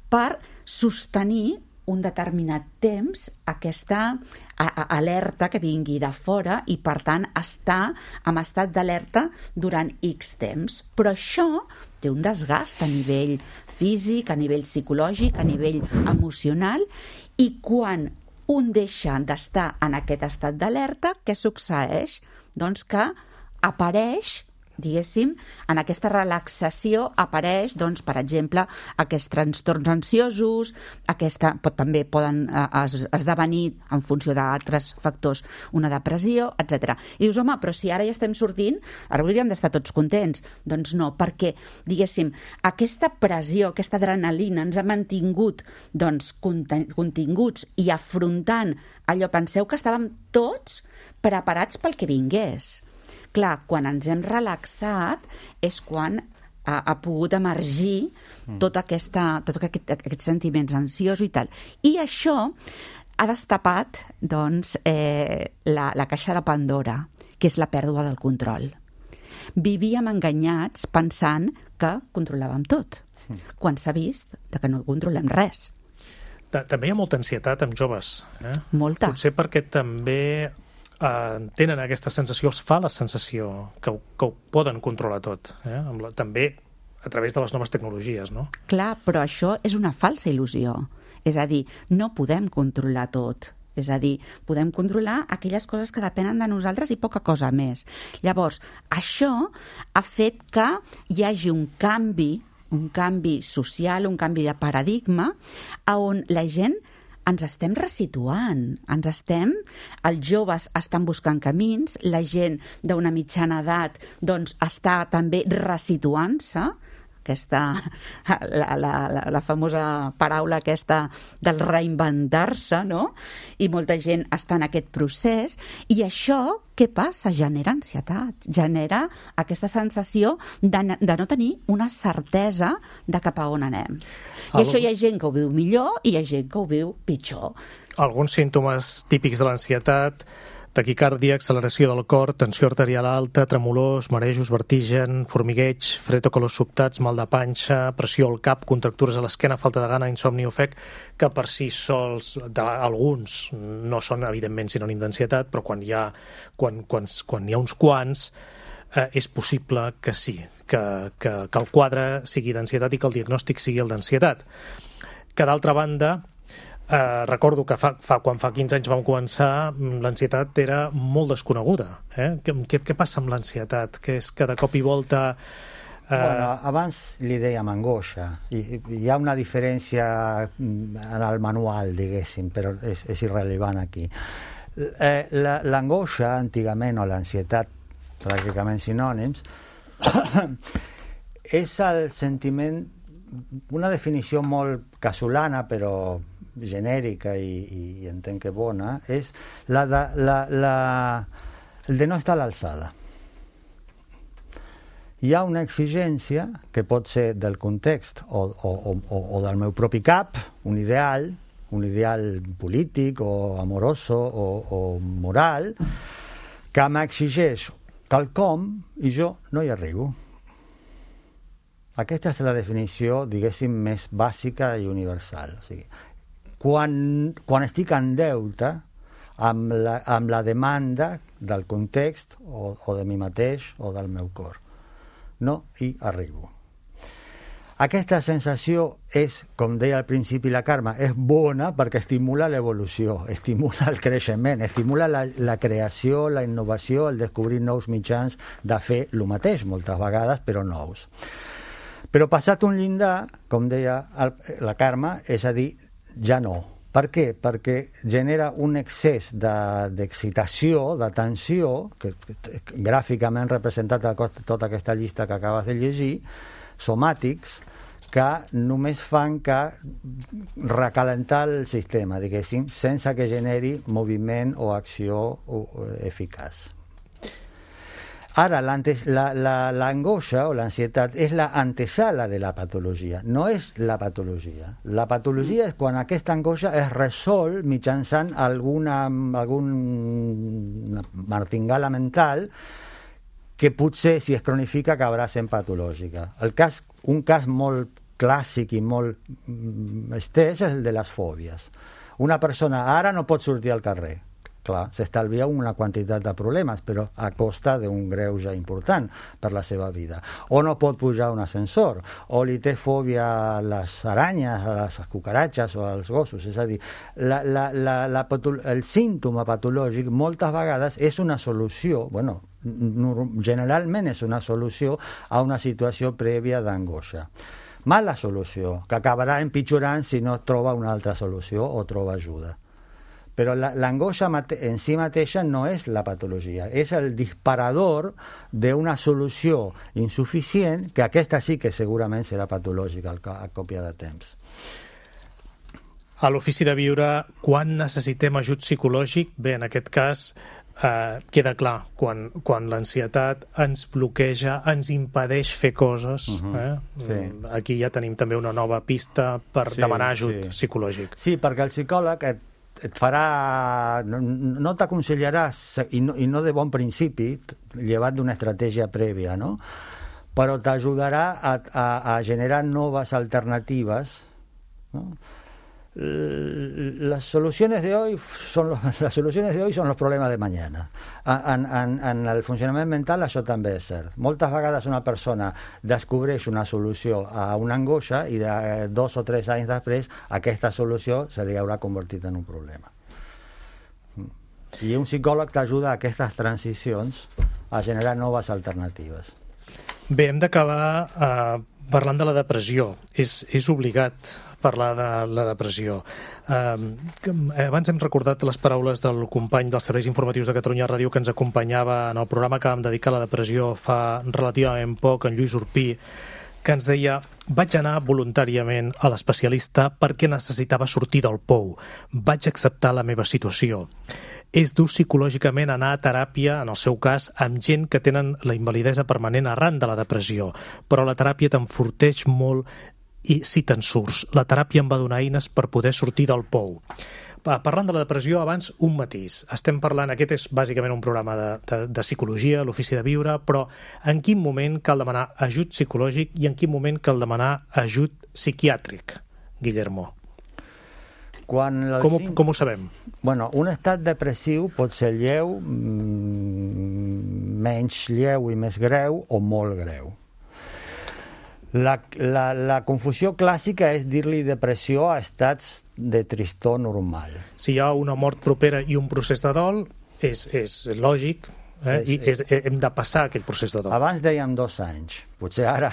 per sostenir un determinat temps aquesta a, a, alerta que vingui de fora i, per tant, estar en estat d'alerta durant X temps. Però això té un desgast a nivell físic, a nivell psicològic, a nivell emocional, i quan un deixa d'estar en aquest estat d'alerta, què succeeix? Doncs que apareix, diguéssim, en aquesta relaxació apareix, doncs, per exemple, aquests trastorns ansiosos, aquesta, pot, també poden eh, es, esdevenir en funció d'altres factors una depressió, etcètera. I dius, home, però si ara ja estem sortint, ara hauríem d'estar tots contents. Doncs no, perquè, diguéssim, aquesta pressió, aquesta adrenalina ens ha mantingut, doncs, continguts i afrontant allò. Penseu que estàvem tots preparats pel que vingués. Clar, quan ens hem relaxat és quan ha, ha pogut emergir tot, aquesta, tot aquest, aquests sentiments ansiosos i tal. I això ha destapat, doncs, eh, la, la caixa de Pandora, que és la pèrdua del control. Vivíem enganyats pensant que controlàvem tot, quan s'ha vist que no controlem res. També hi ha molta ansietat amb joves. Eh? Molta. Potser perquè també eh, tenen aquesta sensació, els fa la sensació que, que ho poden controlar tot. Eh? Amb la, també a través de les noves tecnologies, no? Clar, però això és una falsa il·lusió. És a dir, no podem controlar tot. És a dir, podem controlar aquelles coses que depenen de nosaltres i poca cosa més. Llavors, això ha fet que hi hagi un canvi, un canvi social, un canvi de paradigma, on la gent ens estem resituant, ens estem, els joves estan buscant camins, la gent d'una mitjana edat doncs, està també resituant-se, aquesta, la, la, la, la famosa paraula aquesta del reinventar-se, no? I molta gent està en aquest procés, i això, què passa? Genera ansietat, genera aquesta sensació de, de no tenir una certesa de cap a on anem. I Algun... això hi ha gent que ho viu millor i hi ha gent que ho viu pitjor. Alguns símptomes típics de l'ansietat: taquicàrdia, acceleració del cor, tensió arterial alta, tremolors, marejos, vertigen, formigueig, fred o colors sobtats, mal de panxa, pressió al cap, contractures a l'esquena, falta de gana, insomni o ofec, que per si sols alguns no són evidentment sinònim d'ansietat, però quan hi ha, quan, quan, quan hi ha uns quants eh, és possible que sí, que, que, que el quadre sigui d'ansietat i que el diagnòstic sigui el d'ansietat. Que d'altra banda, Uh, recordo que fa, fa, quan fa quinze anys vam començar, l'ansietat era molt desconeguda. Eh? Què, què, què passa amb l'ansietat? Que és que de cop i volta... Uh... Bueno, abans li dèiem angoixa. I, hi ha una diferència en el manual, diguéssim, però és, és irrellevant aquí. Eh, l'angoixa, antigament, o l'ansietat, pràcticament sinònims, és el sentiment, una definició molt casolana, però genèrica i, i entenc que bona, és la de, la, la, el de no estar a l'alçada. Hi ha una exigència que pot ser del context o, o, o, o del meu propi cap, un ideal, un ideal polític o amoroso o, o moral, que m'exigeix quelcom i jo no hi arribo. Aquesta és la definició, diguéssim, més bàsica i universal. O sigui, quan, quan estic en deute amb la, amb la demanda del context o, o de mi mateix o del meu cor. No hi arribo. Aquesta sensació és, com deia al principi la Carme, és bona perquè estimula l'evolució, estimula el creixement, estimula la, la creació, la innovació, el descobrir nous mitjans de fer el mateix, moltes vegades, però nous. Però passat un llindar, com deia el, la Carme, és a dir, ja no. Per què? Perquè genera un excés d'excitació, de, d'atenció, que, que gràficament representat a tota aquesta llista que acabes de llegir, somàtics, que només fan que recalentar el sistema, diguéssim, sense que generi moviment o acció eficaç. Ara, l'angoixa o l'ansietat és la antesala de la patologia, no és la patologia. La patologia és quan aquesta angoixa es resol mitjançant alguna, alguna martingala mental que potser, si es cronifica, acabarà sent patològica. El cas, un cas molt clàssic i molt estès és el de les fòbies. Una persona ara no pot sortir al carrer. Clar, s'estalvia una quantitat de problemes, però a costa d'un greuge important per la seva vida. O no pot pujar a un ascensor, o li té fòbia a les aranyes, a les cucaratges o als gossos. És a dir, la, la, la, la patolo- el símptoma patològic moltes vegades és una solució, bueno, generalment és una solució a una situació prèvia d'angoixa. Mala solució, que acabarà empitjorant si no troba una altra solució o troba ajuda. Però l'angoixa en si mateixa no és la patologia, és el disparador d'una solució insuficient, que aquesta sí que segurament serà patològica a còpia de temps. A l'Ofici de Viure, quan necessitem ajut psicològic? Bé, en aquest cas eh, queda clar, quan, quan l'ansietat ens bloqueja, ens impedeix fer coses. Uh-huh. eh? Sí. Aquí ja tenim també una nova pista per sí, demanar ajut sí. psicològic. Sí, perquè el psicòleg et et farà, no, no t'aconsellarà, i no, i no de bon principi, llevat d'una estratègia prèvia, no? Però t'ajudarà a, a, a generar noves alternatives, ¿no? Las soluciones de hoy son los, las soluciones de hoy son los problemes de mañana. En, en, en el funcionament mental això també és cert. Moltes vegades una persona descobreix una solució a una angoixa i de dos o tres anys després aquesta solució se li haurà convertit en un problema. I un psicòleg t'ajuda a aquestes transicions a generar noves alternatives. Bé, hem d'acabar eh, parlant de la depressió. És, és obligat parlar de la depressió. Eh, abans hem recordat les paraules del company dels serveis informatius de Catalunya Ràdio que ens acompanyava en el programa que vam dedicar a la depressió fa relativament poc, en Lluís Urpí, que ens deia: vaig anar voluntàriament a l'especialista perquè necessitava sortir del pou. Vaig acceptar la meva situació. És dur psicològicament anar a teràpia, en el seu cas, amb gent que tenen la invalidesa permanent arran de la depressió, però la teràpia t'enforteix molt i si te'n surts. La teràpia em va donar eines per poder sortir del pou. Parlant de la depressió, abans un matís. Estem parlant, aquest és bàsicament un programa de, de, de psicologia, l'Ofici de Viure, però en quin moment cal demanar ajut psicològic i en quin moment cal demanar ajut psiquiàtric, Guillermo? Quan com, ho, com ho sabem? Bueno, un estat depressiu pot ser lleu, menys lleu i més greu, o molt greu. La, la, la confusió clàssica és dir-li depressió a estats de tristor normal. Si hi ha una mort propera i un procés de dol, és, és lògic, eh? I és, hem de passar aquell procés de dol. Abans dèiem dos anys. Potser ara,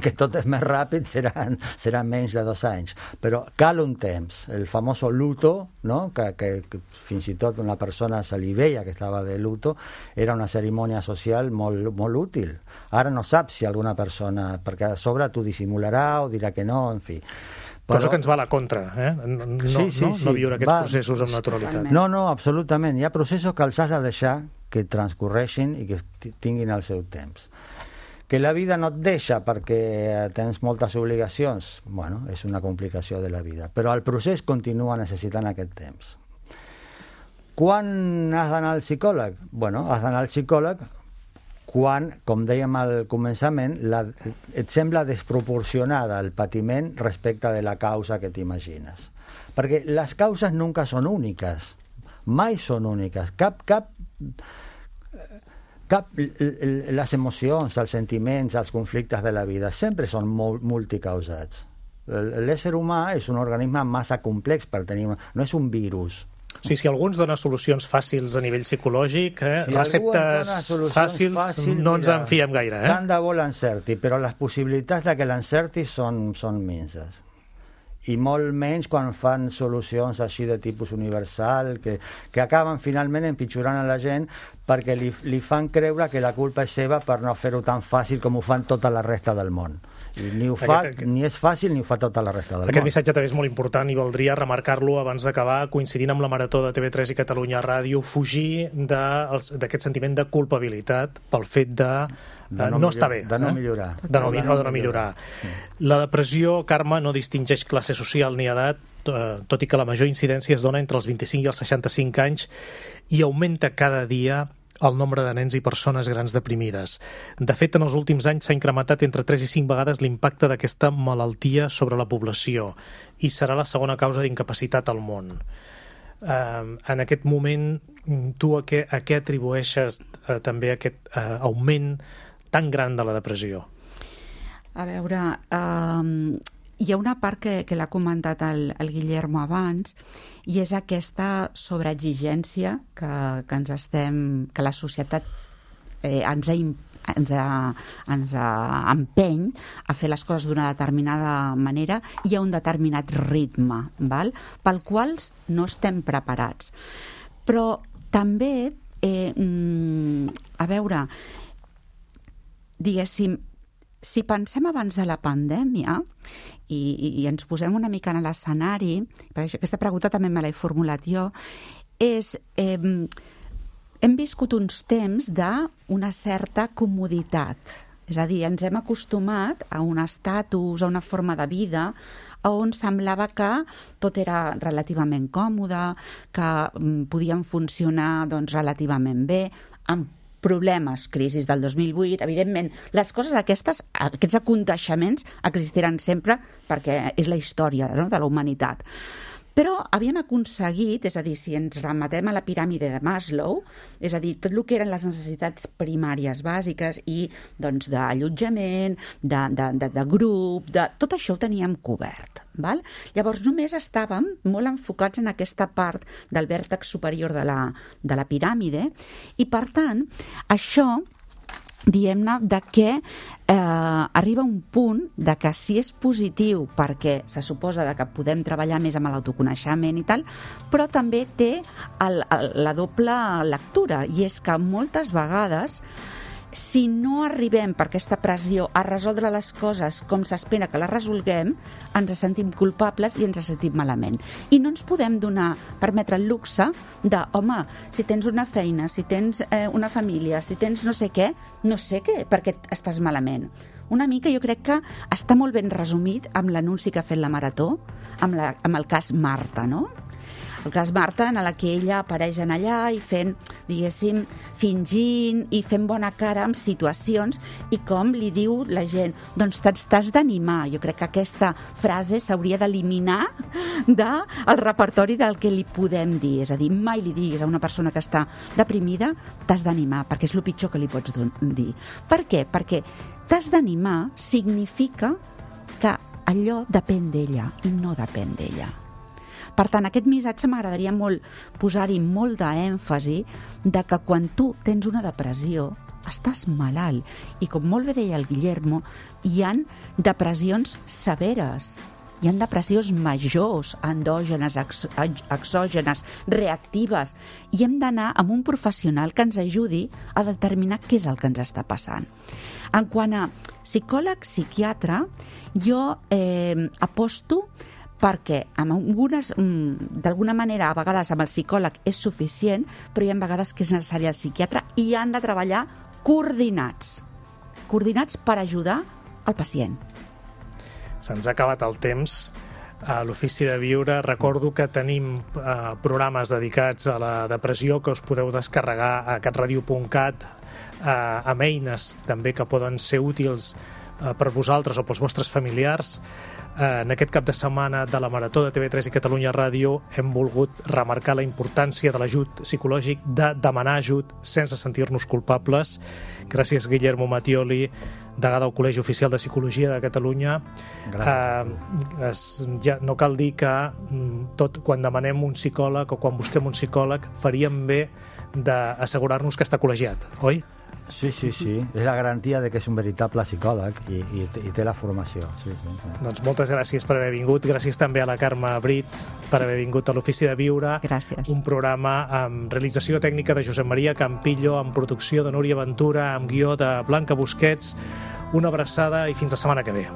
que tot és més ràpid, seran, seran menys de dos anys. Però cal un temps. El famós luto, no? que, que, que fins i tot una persona se li veia que estava de luto, era una cerimònia social molt, molt útil. Ara no saps si alguna persona, perquè a sobre t'ho dissimularà o dirà que no, en fi. Però... Cosa que ens va a la contra, eh? No, sí, sí, no, sí. no viure aquests va... processos amb naturalitat. No, no, absolutament. Hi ha processos que els has de deixar que transcorreixin i que tinguin el seu temps. Que la vida no et deixa perquè tens moltes obligacions, bueno, és una complicació de la vida. Però el procés continua necessitant aquest temps. Quan has d'anar al psicòleg? Bueno, has d'anar al psicòleg quan, com dèiem al començament, la, et sembla desproporcionada el patiment respecte de la causa que t'imagines. Perquè les causes nunca són úniques, mai són úniques. Cap, cap, cap, les emocions, els sentiments, els conflictes de la vida sempre són multicausats. L'ésser humà és un organisme massa complex per tenir... No és un virus. O sigui, si algú ens dona solucions fàcils a nivell psicològic, eh, si receptes fàcils, fàcil, no ens en fiem gaire. Eh? Tant de bo l'encerti, però les possibilitats de que l'encerti són, són minses. I molt menys quan fan solucions així de tipus universal, que, que acaben finalment empitjorant a la gent perquè li, li fan creure que la culpa és seva per no fer-ho tan fàcil com ho fan tota la resta del món. I ni, ho fa, aquest, aquest, ni és fàcil ni ho fa tota la resta del aquest món. Missatge també és molt important i valdria remarcar-lo abans d'acabar, coincidint amb la Marató de T V tres i Catalunya Ràdio, fugir d'aquest sentiment de culpabilitat pel fet de, de no, no estar bé. De no eh? millorar. De no, de no, de no millorar. Sí. La depressió, Carme, no distingeix classe social ni edat, tot i que la major incidència es dona entre els vint-i-cinc i els seixanta-cinc anys i augmenta cada dia el nombre de nens i persones grans deprimides. De fet, en els últims anys s'ha incrementat entre tres i cinc vegades l'impacte d'aquesta malaltia sobre la població i serà la segona causa d'incapacitat al món. Uh, en aquest moment, tu a què, a què atribueixes uh, també aquest uh, augment tan gran de la depressió? A veure, uh, hi ha una part que, que l'ha comentat el, el Guillermo abans, i és aquesta sobreexigència que, que ens estem, que la societat eh, ens, ha, ens, ha, ens ha empeny a fer les coses d'una determinada manera i a un determinat ritme, val? Pel qual no estem preparats. Però també, eh, a veure, diguéssim, si pensem abans de la pandèmia i, i, i ens posem una mica en l'escenari, perquè aquesta pregunta també me l'he formulat jo, és... Eh, hem viscut uns temps d'una certa comoditat. És a dir, ens hem acostumat a un estatus, a una forma de vida on semblava que tot era relativament còmode, que mm, podien funcionar doncs, relativament bé, amb problemes, crisis del dos mil vuit, evidentment, les coses aquestes, aquests aconteixements existiran sempre perquè és la història, no?, de la humanitat. Però havíem aconseguit, és a dir, si ens remetem a la piràmide de Maslow, és a dir, tot el que eren les necessitats primàries bàsiques i doncs, d'allotjament, de, de, de, de grup, de, tot això ho teníem cobert. Val? Llavors només estàvem molt enfocats en aquesta part del vèrtex superior de la, de la piràmide i, per tant, això... diguem-ne, de que eh, arriba un punt de que si és positiu perquè se suposa de que podem treballar més amb l'autoconeixement i tal, però també té el, el, la doble lectura, i és que moltes vegades si no arribem per aquesta pressió a resoldre les coses com s'espera que les resolguem, ens sentim culpables i ens sentim malament. I no ens podem donar, permetre el luxe de, home, si tens una feina, si tens eh, una família, si tens no sé què, no sé què, perquè estàs malament. Una mica jo crec que està molt ben resumit amb l'anunci que ha fet la Marató, amb, la, amb el cas Marta, no? El cas Marta, en la que ella apareix en allà i fent, diguéssim, fingint i fent bona cara amb situacions, i com li diu la gent, doncs t'has d'animar. Jo crec que aquesta frase s'hauria d'eliminar del repertori del que li podem dir. És a dir, mai li diguis a una persona que està deprimida t'has d'animar, perquè és el pitjor que li pots dir. Per què? Perquè t'has d'animar significa que allò depèn d'ella i no depèn d'ella. Per tant, aquest missatge m'agradaria molt posar-hi molt d'èmfasi de que quan tu tens una depressió estàs malalt. I com molt bé deia el Guillermo, hi ha depressions severes, hi ha depressions majors, endògenes, exògenes, reactives, i hem d'anar amb un professional que ens ajudi a determinar què és el que ens està passant. En quant a psicòleg, psiquiatre, jo eh, aposto perquè d'alguna manera a vegades amb el psicòleg és suficient, però hi ha vegades que és necessari el psiquiatre i han de treballar coordinats, coordinats per ajudar el pacient. Se'ns ha acabat el temps. a l'Ofici de Viure. Recordo que tenim eh, programes dedicats a la depressió que us podeu descarregar a catradio punt cat, eh, amb eines també que poden ser útils eh, per vosaltres o pels vostres familiars. Eh, en aquest cap de setmana de la Marató de T V tres i Catalunya Ràdio hem volgut remarcar la importància de l'ajut psicològic, de demanar ajut sense sentir-nos culpables. Gràcies, Guillermo Mattioli, degà del Col·legi Oficial de Psicologia de Catalunya. Eh, es, ja, no cal dir que tot, quan demanem un psicòleg o quan busquem un psicòleg faríem bé d'assegurar-nos que està col·legiat, oi? Sí, sí, sí. És la garantia de que és un veritable psicòleg i, i, i té la formació. Sí, sí, sí. Doncs moltes gràcies per haver vingut. Gràcies també a la Carme Brit per haver vingut a l'Ofici de Viure. Gràcies. Un programa amb realització tècnica de Josep Maria Campillo, amb producció de Núria Ventura, amb guió de Blanca Busquets. Una abraçada i fins la setmana que ve.